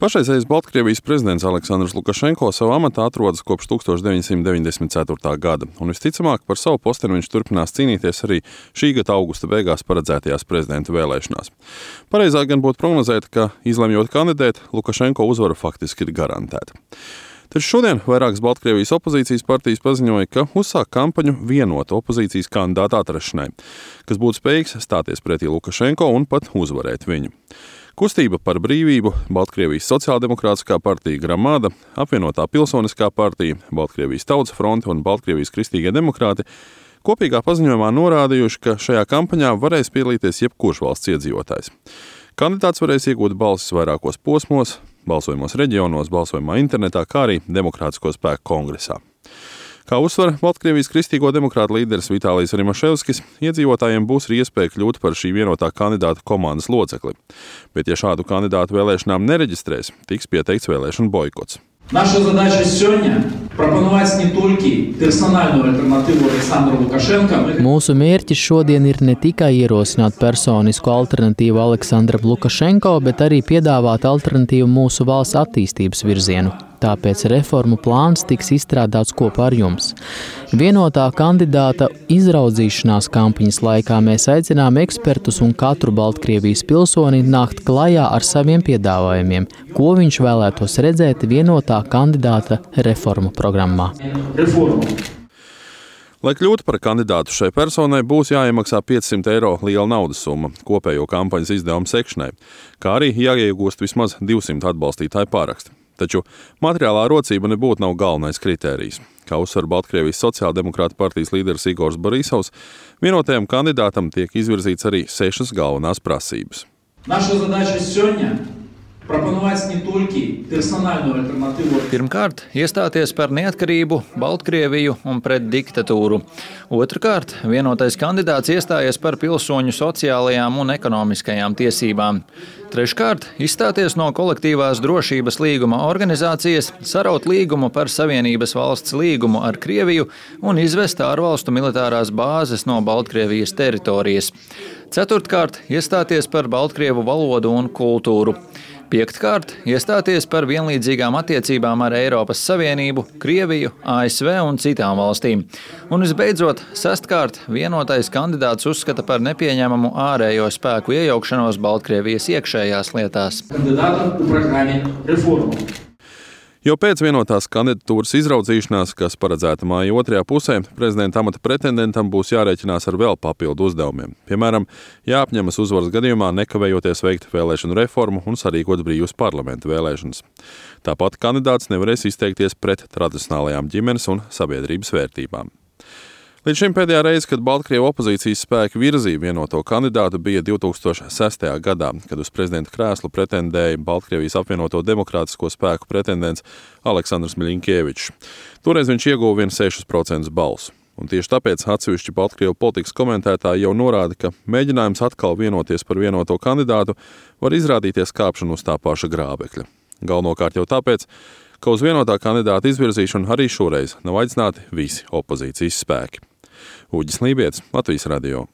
Pašreizējais Baltkrievijas prezidents Aleksandrs Lukašenko savā amatā atrodas kopš 1994. gada, un visticamāk par savu posteni viņš turpinās cīnīties arī šī gada augusta beigās paredzētajās prezidenta vēlēšanās. Pareizāk gan būtu prognozēt, ka, izlemjot kandidēt, Lukašenko uzvara faktiski ir garantēta. Taču šodien vairākas Baltkrievijas opozīcijas partijas paziņoja, ka uzsāk kampaņu vienotu opozīcijas kandidātu atrašanai, kas būtu spējīgs stāties pretī Lukašenko un pat uzvarēt viņu. Kustība par brīvību, Baltkrievijas sociāldemokrātiskā partija Gramada, apvienotā pilsoniskā partija, Baltkrievijas tautas fronte un Baltkrievijas kristīgie demokrāti kopīgā paziņojumā norādījuši, ka šajā kampaņā varēs piedalīties jebkurš valsts iedzīvotājs. Kandidāts varēs iegūt balsis vairākos posmos, balsojumos reģionos, balsojumā internetā, kā arī Demokrātisko spēku kongresā. Kā uzsver Baltkrievijas kristīgo demokrātu līderis Vitālijs Rimaševskis, iedzīvotājiem būs arī iespēja kļūt par šī vienotā kandidāta komandas locekli. Bet, ja šādu kandidātu vēlēšanām nereģistrēs, tiks pieteikts vēlēšanu boikots. Наша задача сегодня пропонувати не тільки персональну альтернативу Александру Лукашенко. Mūsu mērķis šodien ir ne tikai ierosināt personisku alternatīvu Aleksandram Lukašenko, bet arī piedāvāt alternatīvu mūsu valsts attīstības virzienu. Tāpēc reformu plāns tiks izstrādāts kopā ar jums. Vienotā kandidāta izraudzīšanās kampaņas laikā mēs aicinām ekspertus un katru Baltkrievijas pilsoni nākt klajā ar saviem piedāvājumiem, ko viņš vēlētos redzēt vienotā kandidāta reformu programmā. Lai kļūtu par kandidātu šai personai, būs jāiemaksā 500 eiro liela naudas summa kopējo kampaņas izdevumu sekšanai, kā arī jāiegūst vismaz 200 atbalstītāju pāraksti. Taču materiālā rocība nebūtu nav galvenais kritērijs. Kā uzsver Baltkrievijas sociāldemokrāta partijas līderis Igors Borisovs, vienotajam kandidātam tiek izvirzīts arī 6 galvenās prasības. Наша задача сегодня пропонувати не тільки персональну альтернативу. Pirmkārt, iestāties par neatkarību, Baltkrieviju un pret diktatūru. Otrkārt, vienotais kandidāts iestājies par pilsoņu sociālajām un ekonomiskajām tiesībām. Treškārt, izstāties no kolektīvās drošības līguma organizācijas, saraut līgumu par Savienības valsts līgumu ar Krieviju un izvest ārvalstu militārās bāzes no Baltkrievijas teritorijas. Ceturtkārt, iestāties par Baltkrievu valodu un kultūru. Piektkārt, iestāties par vienlīdzīgām attiecībām ar Eiropas Savienību, Krieviju, ASV un citām valstīm. Un visbeidzot, sestkārt, vienotais kandidāts uzskata par nepieņemamu ārējo spēku iejaukšanos Baltkrievijas iekšējās lietās. Кандидатом у программе реформ. Jo pēc vienotās kandidatūras izraudzīšanās, kas paredzēta māja otrajā pusē, prezidenta amata pretendentam būs jārēķinās ar vēl papildu uzdevumiem. Piemēram, jāapņemas uzvaras gadījumā nekavējoties veikt vēlēšanu reformu un sarīkot brīvas parlamenta vēlēšanas. Tāpat kandidāts nevarēs izteikties pret tradicionālajām ģimenes un sabiedrības vērtībām. Līdz šim pēdējā reize, kad Baltkrievu opozīcijas spēki virzīja vienoto kandidātu, bija 2006. gadā, kad uz prezidenta krēslu pretendēja Baltkrievijas apvienoto demokrātisko spēku pretendents Aleksandrs Miļiņkievičs. Toreiz viņš ieguva vien 6% balsu. Un tieši tāpēc atsevišķi Baltkrievu politikas komentētāji jau norāda, ka mēģinājums atkal vienoties par vienoto kandidātu var izrādīties kāpšanu uz tā paša grābekļa. Galvenokārt jau tāpēc, ka uz vienotā kandidāta izvirzīšanu arī šoreiz nav aicināti visi opozīcijas spēki. Uģis Lībietis, Latvijas radio.